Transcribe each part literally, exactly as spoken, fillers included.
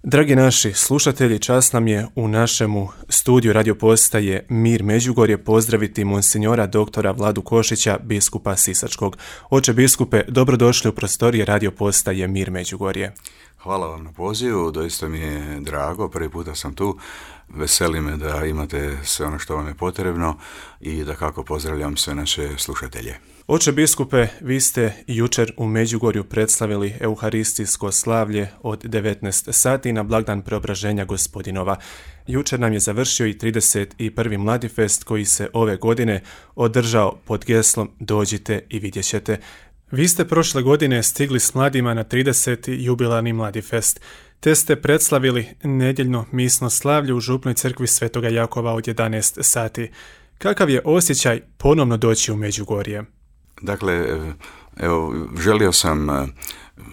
Dragi naši slušatelji, čast nam je u našemu studiju radio postaje Mir Međugorje pozdraviti monsinjora doktora Vladu Košića, biskupa Sisačkog. Oče biskupe, dobrodošli u prostorije radio postaje Mir Međugorje. Hvala vam na pozivu, doista mi je drago, prvi puta sam tu. Veseli me da imate sve ono što vam je potrebno i da kako pozdravljam sve naše slušatelje. Oče biskupe, vi ste jučer u Međugorju predstavili euharistijsko slavlje od devetnaest sati na blagdan Preobraženja Gospodinova. Jučer nam je završio i trideset prvi Mladifest koji se ove godine održao pod geslom Dođite i vidjet ćete. Vi ste prošle godine stigli s mladima na trideseti jubilarni Mladifest, te ste predslavili nedjeljno misno slavlje u župnoj crkvi Svetoga Jakova od jedanaest sati. Kakav je osjećaj ponovno doći u Međugorje? Dakle, evo, želio sam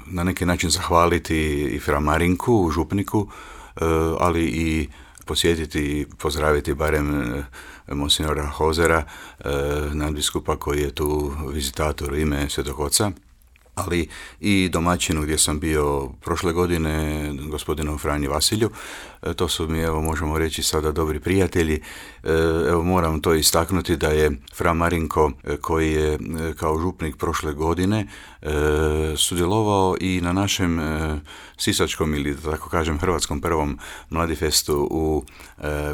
na neki način zahvaliti i fra Marinku, župniku, ali i posjetiti i pozdraviti barem monsinjora Hozera, nadbiskupa koji je tu vizitator u ime Svetog Oca, ali i domaćinu gdje sam bio prošle godine, gospodinu Franji Vasilju. To su mi, evo, možemo reći sada dobri prijatelji. Evo, moram to istaknuti da je fra Marinko, koji je kao župnik prošle godine sudjelovao i na našem sisačkom ili, da tako kažem, hrvatskom prvom Mladifestu u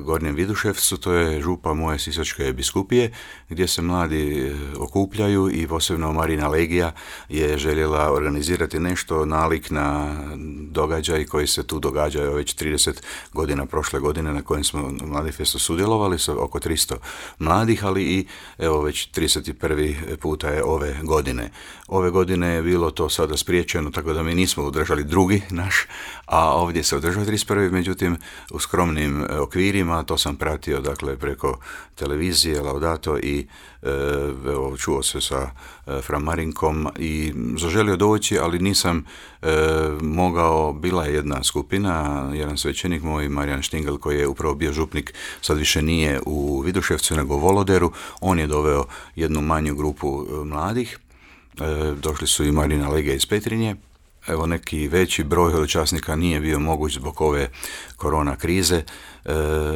Gornjem Viduševcu. To je župa moje sisačke biskupije, gdje se mladi okupljaju i posebno Marina Legija je željela organizirati nešto nalik na događaj koji se tu događaju već trideset godina prošle godine na kojem smo u Mladifestu sudjelovali sa oko tristo mladih, ali i evo već trideset prvi puta je ove godine. Ove godine je bilo to sada spriječeno, tako da mi nismo održali drugi naš, a ovdje se održao trideset prvi međutim u skromnim okvirima. To sam pratio dakle preko televizije Laudato i evo, čuo se sa fra Marinkom i zaželio doći, ali nisam e, mogao. Bila je jedna skupina, jedan svećenik moj, Marijan Štingel, koji je upravo bio župnik, sad više nije u Viduševcu nego u Voloderu. On je doveo jednu manju grupu mladih. E, došli su i Marina Legija iz Petrinje. Evo, neki veći broj hodočasnika nije bio moguć zbog ove korona krize, e,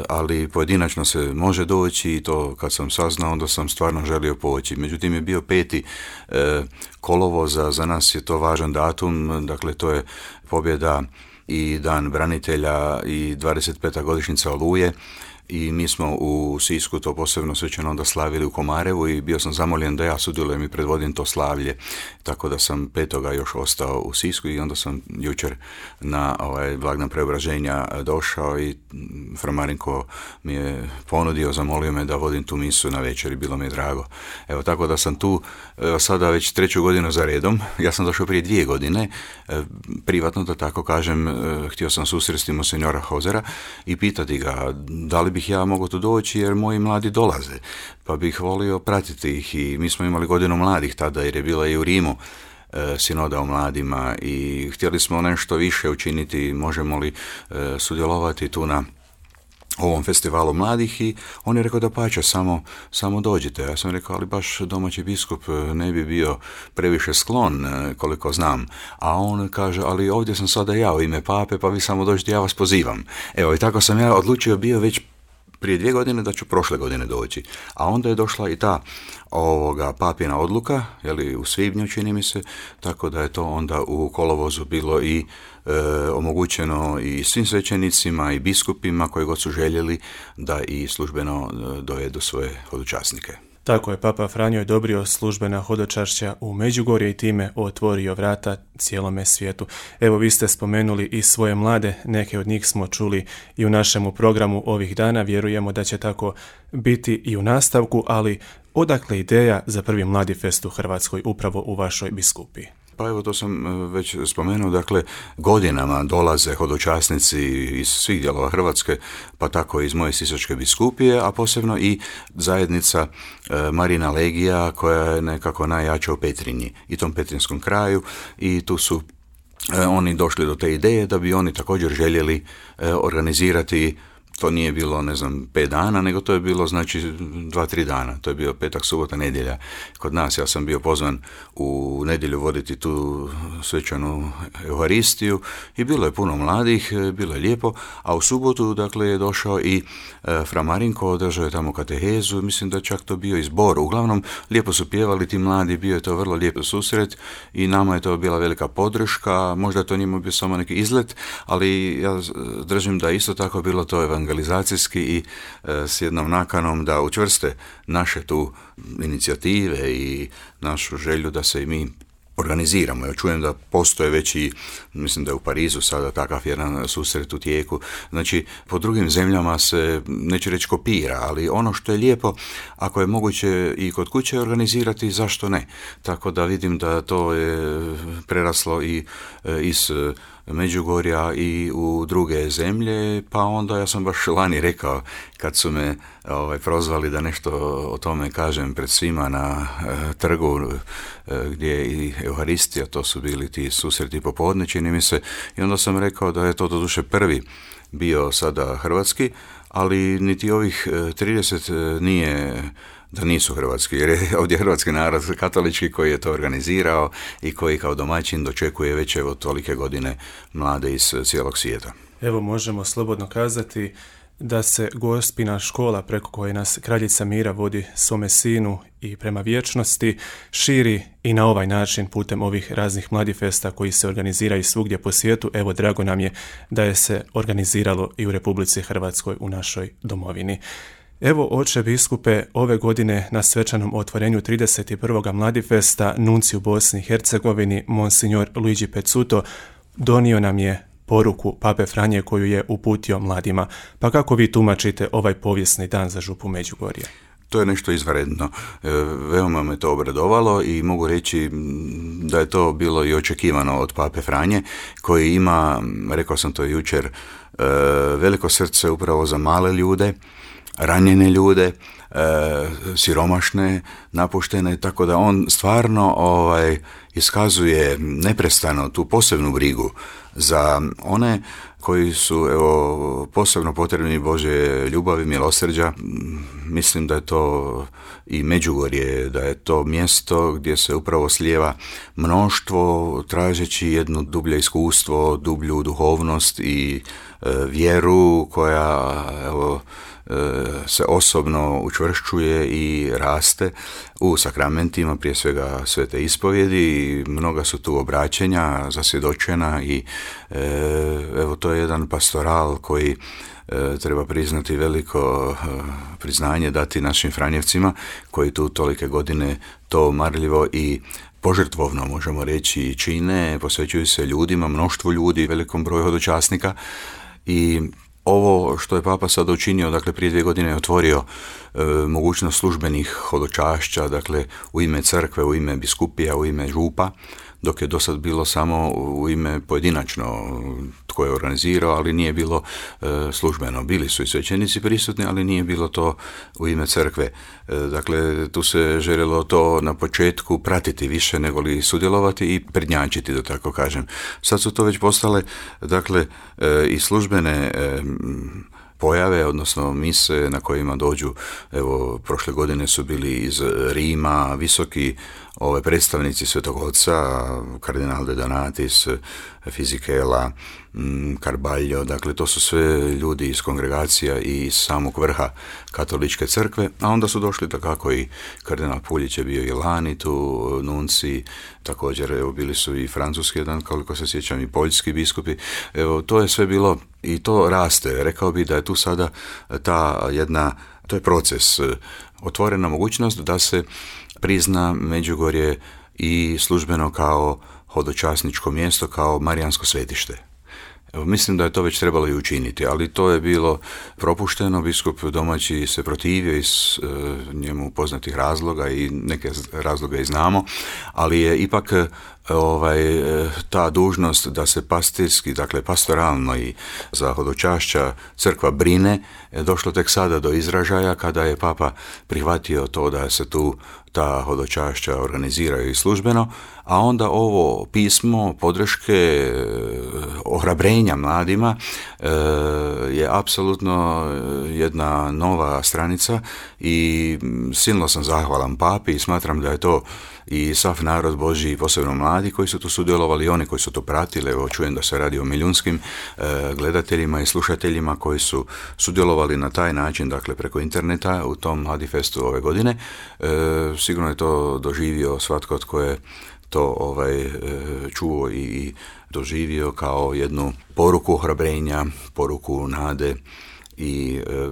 ali pojedinačno se može doći i to kad sam saznao, onda sam stvarno želio poći. Međutim, je bio peti e, kolovoza, za nas je to važan datum, dakle to je pobjeda i dan branitelja i dvadeset peta godišnjica Oluje. I mi smo u Sisku to posebno svečano onda slavili u Komarevu i bio sam zamoljen da ja sudjelujem i predvodim to slavlje, tako da sam petoga još ostao u Sisku i onda sam jučer na ovaj blagdan Preobraženja došao i fra Marinko mi je ponudio, zamolio me da vodim tu misu na večer i bilo mi je drago. Evo, tako da sam tu evo, sada već treću godinu za redom. Ja sam došao prije dvije godine, privatno da tako kažem, htio sam susresti monsinjora Hozera i pitati ga da li bih ja mogao tu doći jer moji mladi dolaze, pa bih volio pratiti ih. I mi smo imali godinu mladih tada jer je bila i u Rimu e, sinoda o mladima i htjeli smo nešto više učiniti, možemo li e, sudjelovati tu na ovom festivalu mladih i on je rekao da pače, samo, samo dođite. Ja sam rekao, ali baš domaći biskup ne bi bio previše sklon, koliko znam. A on kaže, ali ovdje sam sada ja u ime pape, pa vi samo dođite, ja vas pozivam. Evo, i tako sam ja odlučio bio već prije dvije godine da ću prošle godine doći. A onda je došla i ta ovoga papina odluka, jeli, u svibnju čini mi se, tako da je to onda u kolovozu bilo i e, omogućeno i svim svećenicima i biskupima koji god su željeli da i službeno dovedu svoje hodočasnike. Tako je, Papa Franjo je odobrio službena hodočašća u Međugorje i time otvorio vrata cijelome svijetu. Evo, vi ste spomenuli i svoje mlade, neke od njih smo čuli i u našemu programu ovih dana, vjerujemo da će tako biti i u nastavku, ali odakle ideja za prvi Mladifest u Hrvatskoj upravo u vašoj biskupiji? Pa evo, to sam već spomenuo, dakle godinama dolaze hodočasnici iz svih dijelova Hrvatske, pa tako iz moje sisačke biskupije, a posebno i zajednica e, Marina Legija koja je nekako najjača u Petrinji i tom petrinskom kraju i tu su e, oni došli do te ideje da bi oni također željeli e, organizirati to nije bilo, ne znam, pet dana, nego to je bilo, znači, dva, tri dana. To je bio petak, subota, nedjelja. Kod nas, ja sam bio pozvan u nedjelju voditi tu svečanu Euharistiju i bilo je puno mladih, bilo je lijepo, a u subotu, dakle, je došao i e, fra Marinko, održao je tamo katehezu, mislim da čak to bio i zbor. Uglavnom, lijepo su pjevali ti mladi, bio je to vrlo lijep susret i nama je to bila velika podrška, možda to njima bio samo neki izlet, ali ja držim da isto tako bilo to evangelizacijski i e, s jednom nakanom da učvrste naše tu inicijative i našu želju da se i mi organiziramo. Ja čujem da postoje već i, mislim da je u Parizu sada takav jedan susret u tijeku. Znači, po drugim zemljama se, neću reći kopira, ali ono što je lijepo, ako je moguće i kod kuće organizirati, zašto ne? Tako da vidim da to je preraslo i iz Međugorja i u druge zemlje, pa onda ja sam baš lani rekao, kad su me ovaj, prozvali da nešto o tome kažem pred svima na e, trgu e, gdje je i Euharistija, to su bili ti susreti popodne, čini mi se, i onda sam rekao da je to doduše prvi bio sada hrvatski, ali niti ovih trideset nije da nisu hrvatski, jer je ovdje hrvatski narod katolički koji je to organizirao i koji kao domaćin dočekuje već evo tolike godine mlade iz cijelog svijeta. Evo možemo slobodno kazati da se Gospina škola preko koje nas Kraljica Mira vodi svome sinu i prema vječnosti širi i na ovaj način putem ovih raznih mladifesta koji se organiziraju svugdje po svijetu. Evo, drago nam je da je se organiziralo i u Republici Hrvatskoj, u našoj domovini. Evo, oče biskupe, ove godine na svečanom otvorenju trideset prvog Mladifesta nunci u Bosni i Hercegovini, monsignor Luigi Pezzuto, donio nam je poruku Pape Franje koju je uputio mladima. Pa kako vi tumačite ovaj povijesni dan za župu Međugorje? To je nešto izvanredno. E, veoma me to obradovalo i mogu reći da je to bilo i očekivano od Pape Franje, koji ima, rekao sam to jučer, e, veliko srce upravo za male ljude, ranjene ljude, e, siromašne, napuštene, tako da on stvarno ovaj, iskazuje neprestano tu posebnu brigu za one koji su evo, posebno potrebni Božje ljubavi, milosrđa. Mislim da je to i Međugorje, da je to mjesto gdje se upravo slijeva mnoštvo tražeći jedno dublje iskustvo, dublju duhovnost i e, vjeru koja evo, se osobno učvršćuje i raste u sakramentima, prije svega svete ispovjedi. Mnoga su tu obraćenja zasvjedočena i e, evo to je jedan pastoral koji e, treba priznati veliko e, priznanje dati našim Franjevcima koji tu tolike godine to marljivo i požrtvovno, možemo reći, čine, posvećuju se ljudima, mnoštvu ljudi, velikom broju hodočasnika i ovo što je Papa sada učinio, dakle prije dvije godine je otvorio e, mogućnost službenih hodočašća, dakle u ime crkve, u ime biskupija, u ime župa, dok je do sad bilo samo u ime pojedinačno tko je organizirao, ali nije bilo e, službeno. Bili su i svećenici prisutni, ali nije bilo to u ime crkve. E, dakle, tu se željelo to na početku pratiti više nego li sudjelovati i prednjačiti, da tako kažem. Sad su to već postale, dakle, e, i službene e, pojave, odnosno mise na kojima dođu, evo, prošle godine su bili iz Rima visoki ove predstavnici Svetog Oca, kardinal de Donatis, Fisichella, Carballo, dakle to su sve ljudi iz kongregacija i iz samog vrha katoličke crkve, a onda su došli takako i kardinal Puljić je bio i lani tu, nunci, također evo bili su i francuski jedan, koliko se sjećam, i poljski biskupi, evo to je sve bilo i to raste, rekao bi da je tu sada ta jedna, to je proces, otvorena mogućnost da se prizna Međugorje i službeno kao hodočasničko mjesto, kao marijansko svetište. Evo, mislim da je to već trebalo i učiniti, ali to je bilo propušteno, biskup domaći se protivio iz e, njemu poznatih razloga i neke razloga i znamo, ali je ipak e, ovaj, ta dužnost da se pastirski, dakle pastoralno i za hodočašća crkva brine, je došlo tek sada do izražaja kada je Papa prihvatio to da se tu ta hodočašća organiziraju i službeno, a onda ovo pismo podrške, ohrabrenja mladima je apsolutno jedna nova stranica i silno sam zahvalan papi i smatram da je to i sav narod Božji, posebno mladi koji su tu sudjelovali i oni koji su to pratili. Evo, čujem da se radi o milijunskim e, gledateljima i slušateljima koji su sudjelovali na taj način, dakle preko interneta u tom Mladifestu ove godine. E, sigurno je to doživio svatko tko je to ovaj, e, čuo i doživio kao jednu poruku ohrabrenja, poruku nade i e,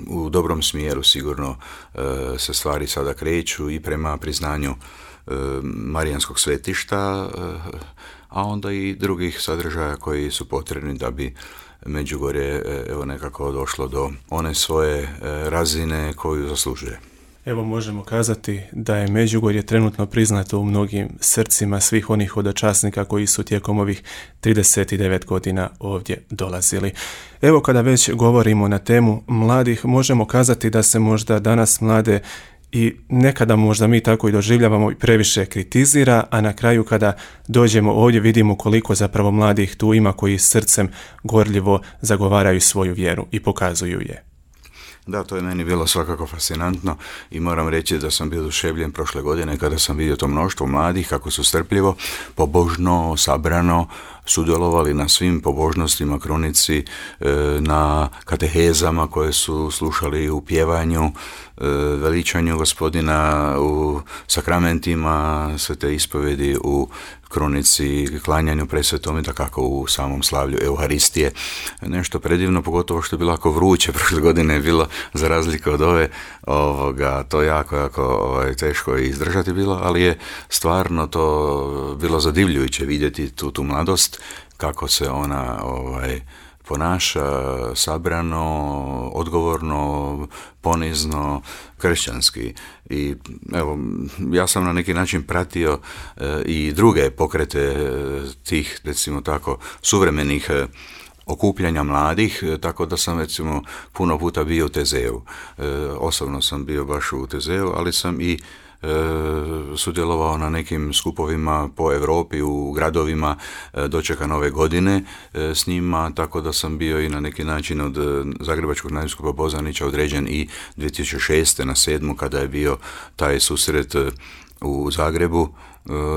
u dobrom smjeru sigurno e, se stvari sada kreću i prema priznanju Marijanskog svetišta, a onda i drugih sadržaja koji su potrebni da bi Međugorje evo nekako došlo do one svoje razine koju zaslužuje. Evo možemo kazati da je Međugorje trenutno priznato u mnogim srcima svih onih hodočasnika koji su tijekom ovih trideset devet godina ovdje dolazili. Evo kada već govorimo na temu mladih, možemo kazati da se možda danas mlade i nekada možda mi tako i doživljavamo i previše kritizira, a na kraju kada dođemo ovdje vidimo koliko zapravo mladih tu ima koji srcem gorljivo zagovaraju svoju vjeru i pokazuju je. Da, to je meni bilo svakako fascinantno i moram reći da sam bio oduševljen prošle godine kada sam vidio to mnoštvo mladih kako su strpljivo, pobožno, sabrano sudjelovali na svim pobožnostima, krunici, na katehezama koje su slušali u pjevanju, veličanju Gospodina, u sakramentima, svete ispovedi, u krunici, klanjanju presvetom i dakako u samom slavlju Euharistije. Nešto predivno, pogotovo što je bilo jako vruće, prošle godine je bilo za razliku od ove, ovoga, to jako, jako ovaj, teško izdržati bilo, ali je stvarno to bilo zadivljujuće vidjeti tu, tu mladost, kako se ona ovaj, ponaša sabrano, odgovorno, ponizno, kršćanski. I evo, ja sam na neki način pratio e, i druge pokrete tih, recimo tako, suvremenih e, okupljanja mladih, e, tako da sam recimo puno puta bio u Tezeu. E, osobno sam bio baš u Tezeu, ali sam i E, sudjelovao na nekim skupovima po Europi, u gradovima, e, dočeka nove godine e, s njima, tako da sam bio i na neki način od Zagrebačkog nadbiskupa Bozanića određen i dvije tisuće šeste na sedmu kada je bio taj susret u Zagrebu,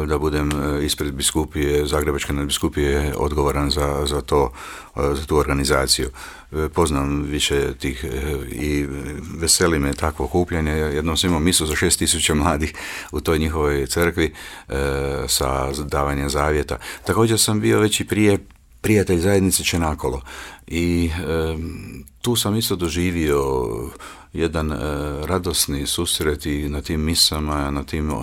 da budem ispred biskupije, Zagrebačke nadbiskupije odgovoran za, za, to, za tu organizaciju. Poznam više tih i veseli me takvo okupljanje. Jednom sam imao misu za šest tisuća mladih u toj njihovoj crkvi sa davanjem zavjeta. Također sam bio već i prije prijatelj zajednice Čenakolo i e, tu sam isto doživio jedan e, radosni susret i na tim misama, na tim e,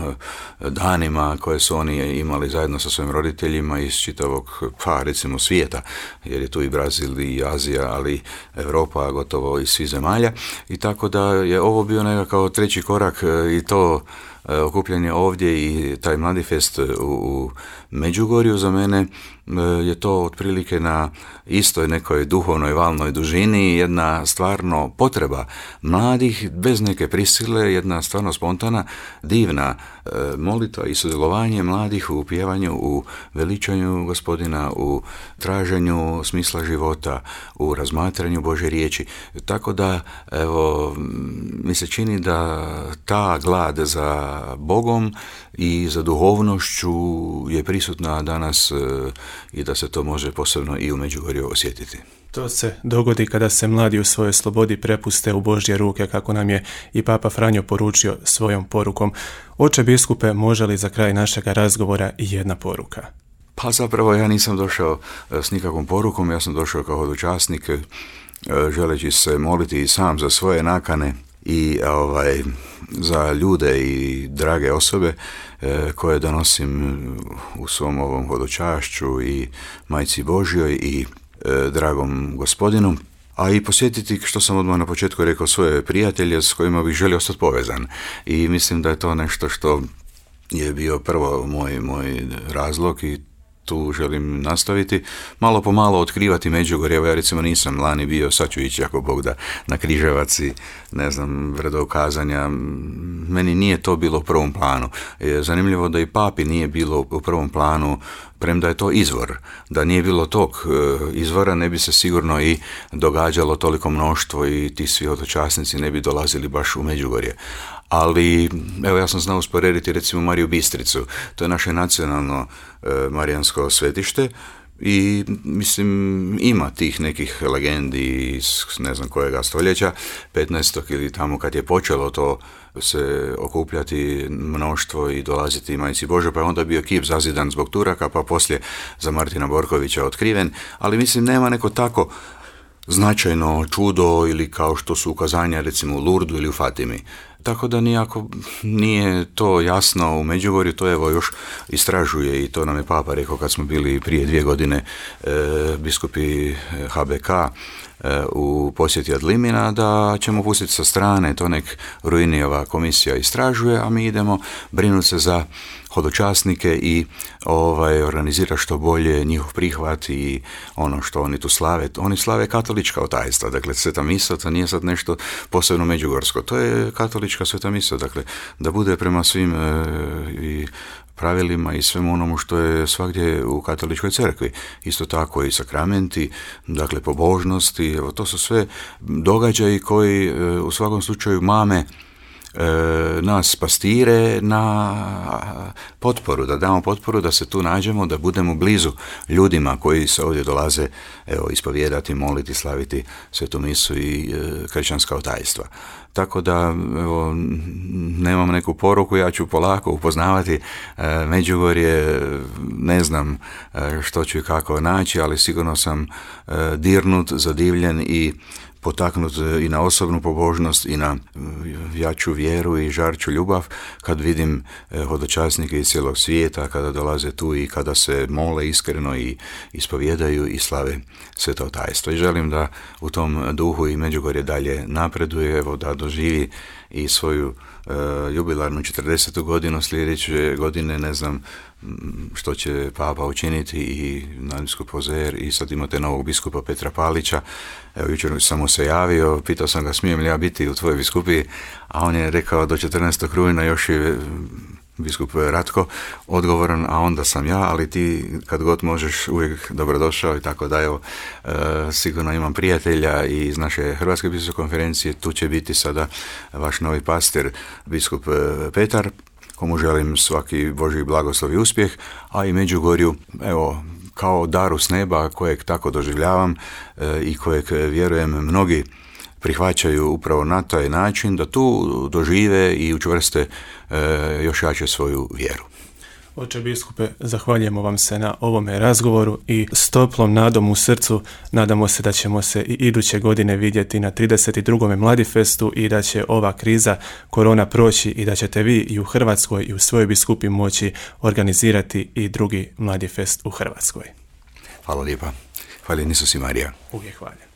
danima koje su oni imali zajedno sa svojim roditeljima iz čitavog, pa recimo svijeta, jer je tu i Brazil i Azija, ali Europa gotovo iz svih zemalja, i tako da je ovo bio nekakav treći korak e, i to e, okupljanje ovdje i taj Mladifest u, u Međugorju za mene je to otprilike na istoj nekoj duhovnoj valnoj dužini, jedna stvarno potreba mladih, bez neke prisile, jedna stvarno spontana, divna e, molitva i sudjelovanje mladih u pjevanju, u veličanju Gospodina, u traženju smisla života, u razmatranju Božje riječi. Tako da, evo, mi se čini da ta glad za Bogom i za duhovnošću je prisutna danas e, i da se to može posebno i u Međugorju osjetiti. To se dogodi kada se mladi u svojoj slobodi prepuste u Božje ruke, kako nam je i Papa Franjo poručio svojom porukom. Oče biskupe, može li za kraj našega razgovora i jedna poruka? Pa zapravo ja nisam došao s nikakvom porukom, ja sam došao kao hodočasnik, želeći se moliti i sam za svoje nakane i ovaj, za ljude i drage osobe e, koje donosim u svom ovom hodočašću i Majci Božjoj i e, dragom Gospodinu, a i posjetiti, što sam odmah na početku rekao, svoje prijatelje s kojima bih želio ostati povezan. I mislim da je to nešto što je bio prvo moj, moj razlog i tu želim nastaviti. Malo po malo otkrivati Međugorje. Evo ja recimo nisam lani bio, sad ću ići ako Bog da na Križevac i ne znam, vredokazanja. Meni nije to bilo u prvom planu. Zanimljivo da i papi nije bilo u prvom planu, premda je to izvor. Da nije bilo tog izvora, ne bi se sigurno i događalo toliko mnoštvo i ti svi hodočasnici ne bi dolazili baš u Međugorje. Ali, evo ja sam znao usporediti recimo Mariju Bistricu, to je naše nacionalno e, marijansko svetište i mislim ima tih nekih legendi iz ne znam kojega stoljeća, petnaestog ili tamo kad je počelo to se okupljati mnoštvo i dolaziti Majci Božoj, pa je onda bio kip zazidan zbog Turaka, pa poslije za Martina Borkovića otkriven, ali mislim nema neko tako značajno čudo ili kao što su ukazanja recimo u Lurdu ili u Fatimi. Tako da nijako nije to jasno u Međugorju, to evo još istražuje i to nam je Papa rekao kad smo bili prije dvije godine e, biskupi H B K e, u posjeti Adlimina, da ćemo pustiti sa strane, to nek Ruinijeva komisija istražuje, a mi idemo brinuti se za hodočasnike i ovaj, organizira što bolje njihov prihvat i ono što oni tu slave. Oni slave katolička otajstva, dakle sveta misa, to nije sad nešto posebno međugorsko, to je katolička sveta misa, dakle da bude prema svim e, i pravilima i svemu onomu što je svagdje u katoličkoj crkvi. Isto tako i sakramenti, dakle pobožnosti, evo to su sve događaji koji e, u svakom slučaju mame E, nas pastire na potporu, da damo potporu, da se tu nađemo, da budemo blizu ljudima koji se ovdje dolaze evo, ispovijedati, moliti, slaviti svetu misu i e, kršćanska otajstva. Tako da evo, nemam neku poruku, ja ću polako upoznavati e, Međugorje, ne znam e, što ću i kako naći, ali sigurno sam e, dirnut, zadivljen i potaknut i na osobnu pobožnost i na jaču vjeru i žarču ljubav kad vidim hodočasnike iz cijelog svijeta, kada dolaze tu i kada se mole iskreno i ispovjedaju i slave sveto otajstvo. I želim da u tom duhu i Međugorje dalje napreduje, evo da doživi i svoju uh, jubilarnu četrdesetu godinu sljedeće godine, ne znam što će Papa učiniti i nadbiskup Ozer i sad imate novog biskupa Petra Palića. Evo, jučer sam mu se javio, pitao sam ga smijem li ja biti u tvojoj biskupiji, a on je rekao do četrnaestog rujna još je biskup Ratko odgovoran, a onda sam ja, ali ti kad god možeš uvijek dobrodošao i tako da evo, e, sigurno imam prijatelja i iz naše Hrvatske biskupske konferencije, tu će biti sada vaš novi pastir, biskup Petar, komu želim svaki Božji blagoslov i uspjeh, a i Međugorju, evo, kao daru s neba kojeg tako doživljavam e, i kojeg vjerujem mnogi prihvaćaju upravo na taj način da tu dožive i učvrste e, još jače svoju vjeru. Oče biskupe, zahvaljujemo vam se na ovome razgovoru i s toplom nadom u srcu nadamo se da ćemo se i iduće godine vidjeti na trideset drugom Mladifestu i da će ova kriza korona proći i da ćete vi i u Hrvatskoj i u svojoj biskupi moći organizirati i drugi Mladifest u Hrvatskoj. Hvala lijepa. Hvala Isus i Marija. Uvijek hvala.